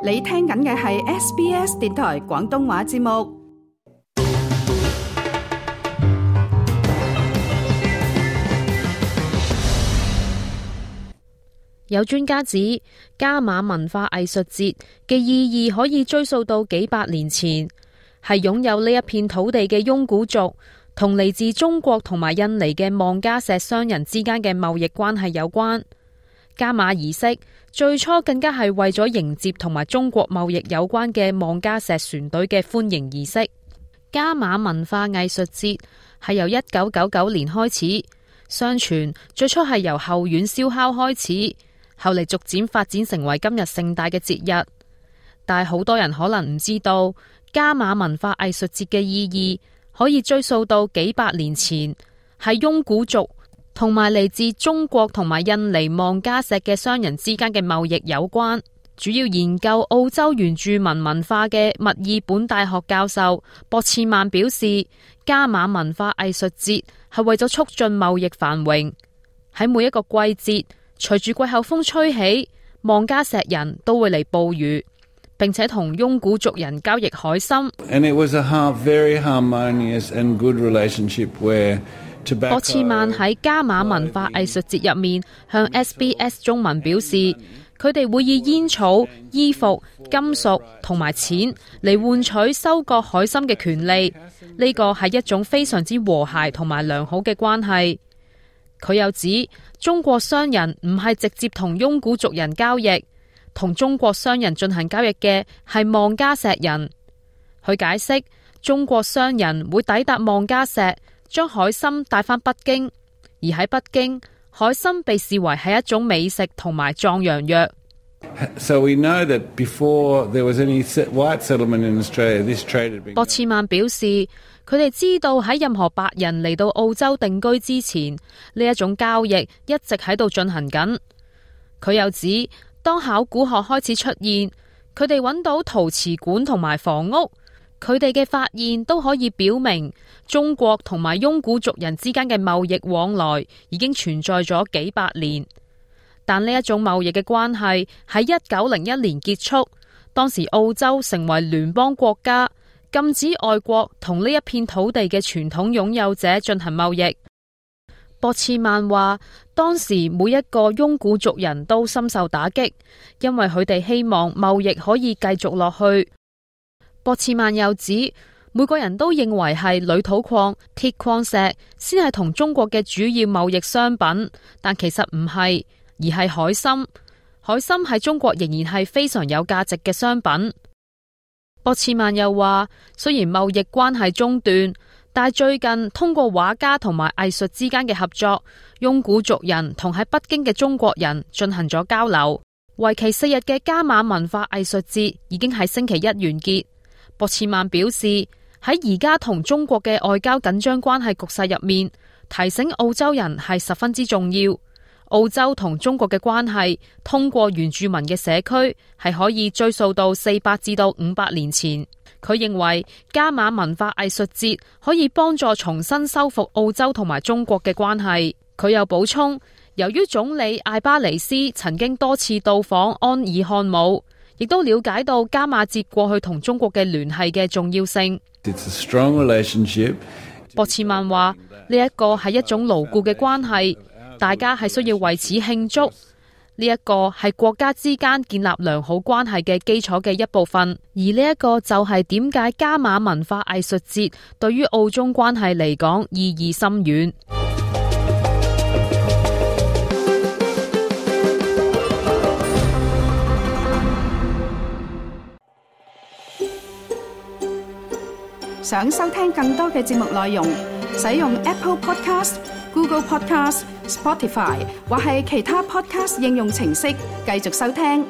你聽緊嘅係 SBS 電台廣東話節目。有專家指，加馬文化藝術節嘅意義可以追溯到幾百年前，係擁有呢一片土地嘅雍古族同嚟自中國同埋印尼嘅望加石商人之間嘅貿易關係有關。加馬儀式最初更加係為咗迎接同埋中國貿易有關嘅望加石船隊嘅歡迎儀式。加馬文化藝術節係由1999年開始，相傳最初係由後院燒烤開始，後嚟逐漸發展成為今日盛大嘅節日。但係好多人可能唔知道，加馬文化藝術節嘅意義可以追溯到幾百年前，係雍古族同埋嚟自中國同埋印尼望加石嘅商人之間嘅貿易有關。主要研究澳洲原住民文化嘅墨爾本大學教授博茨曼表示，加馬文化藝術節係為咗促進貿易繁榮。喺每一個季節，隨住季候風吹起，望加石人都會嚟捕魚，並且同雍古族人交易海參。博茨曼喺加馬文化藝術節入面向 SBS 中文表示，佢哋會以煙草、衣服、金屬同埋錢嚟換取收割海參嘅權利。呢個係一種非常之和諧同埋良好嘅關係。佢又指，中國商人唔係直接同雍古族人交易，同中國商人進行交易嘅係望加石人。佢解釋，中國商人會抵達望加石，將海參帶返北京，而喺北京，海參被視為係一種美食同埋壯陽藥。博茨曼表示，佢哋知道喺任何白人嚟到澳洲定居之前，呢一種交易一直喺度進行緊。佢又指，當考古學開始出現，佢哋揾到陶瓷館同埋房屋，佢哋嘅發現都可以表明，中國同埋雍古族人之間嘅貿易往來已經存在咗幾百年。但呢一種貿易嘅關係喺1901年結束，當時澳洲成為聯邦國家，禁止外國同呢一片土地嘅傳統擁有者進行貿易。博茨曼話，當時每一個雍古族人都深受打擊，因為佢哋希望貿易可以繼續落去。博茨曼又指，每個人都認為係鋁土礦、鐵礦石先係同中國嘅主要貿易商品，但其實唔係，而係海參。海參喺中國仍然係非常有價值嘅商品。博茨曼又話，雖然貿易關係中斷，但係最近通過畫家同埋藝術之間嘅合作，雍古族人同喺北京嘅中國人進行咗交流。為期4日嘅加馬文化藝術節已經喺星期一完結。博茨曼表示，喺而家同中國嘅外交緊張關係局勢入面，提醒澳洲人係十分之重要。澳洲同中國嘅關係通過原住民嘅社區係可以追溯到400至到500年前。佢認為加馬文化藝術節可以幫助重新修復澳洲同埋中國嘅關係。佢又補充，由於總理艾巴尼斯曾經多次到訪安爾漢姆，亦都了解到加馬節過去同中國嘅聯繫嘅重要性。博茨曼話，呢一個係一種牢固嘅關係，大家係需要為此慶祝。呢一個係國家之間建立良好關係嘅基礎嘅一部分，而呢一個就係點解加馬文化藝術節對於澳中關係嚟講意義深遠。想收聽更多嘅節目內容，使用 Apple Podcast、Google Podcast、Spotify 或係其他 Podcast 應用程式繼續收聽。